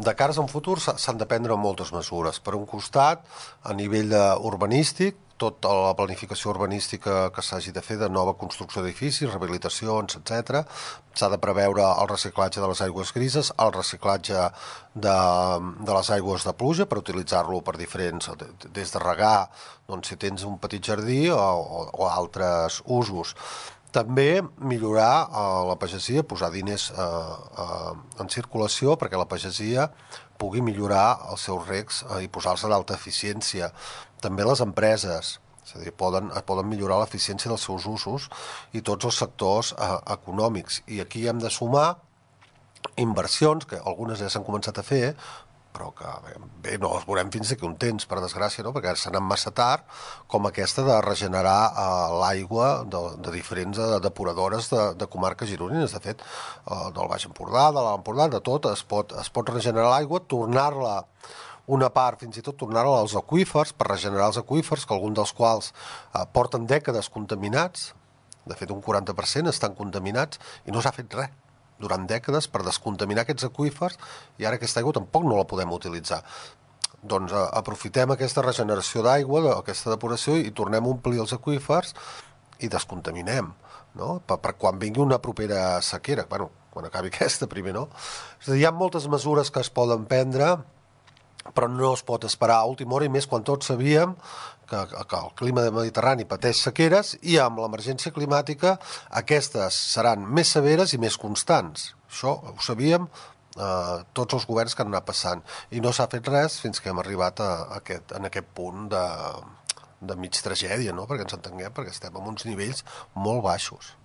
de cares a un futur s'han de prendre moltes mesures. Per un costat, a nivell urbanístic, tota la planificació urbanística que s'hagi de fer de nova construcció d'edificis, rehabilitacions, etc. S'ha de preveure el reciclatge de les aigües grises, el reciclatge de les aigües de pluja per utilitzar-lo per diferents, des de regar, doncs, si tens un petit jardí o altres usos. També millorar la pagesia, posar diners en circulació perquè la pagesia pugui millorar els seus recs i posar-se d'alta eficiència. També les empreses, és a dir, poden millorar l'eficiència dels seus usos i tots els sectors econòmics. I aquí hem de sumar inversions, que algunes ja s'han començat a fer, però que bé, no les veurem fins d'aquí un temps, per desgràcia, no? Perquè s'ha anat massa tard, com aquesta de regenerar l'aigua de diferents depuradores de comarques gironines. De fet, del Baix Empordà, de l'Alt Empordà, de tot, es pot regenerar l'aigua, tornar-la una part, fins i tot tornar-la als aqüífers, per regenerar els aqüífers, que alguns dels quals porten dècades contaminats, de fet un 40% estan contaminats, i no s'ha fet res durant dècades per descontaminar aquests aqüífers, i ara aquesta aigua tampoc no la podem utilitzar. Doncs aprofitem aquesta regeneració d'aigua, aquesta depuració, i tornem a omplir els aqüífers i descontaminem, no? Per quan vingui una propera sequera, bueno, quan acabi aquesta primer, no? És a dir, hi ha moltes mesures que es poden prendre, però no es pot esperar a última hora, i més quan tots sabíem que el clima mediterrani pateix sequeres, i amb l'emergència climàtica aquestes seran més severes i més constants. Això ho sabíem tots els governs que han anat passant, i no s'ha fet res fins que hem arribat en aquest punt de mig tragèdia, no? Perquè ens entenguem, perquè estem en uns nivells molt baixos.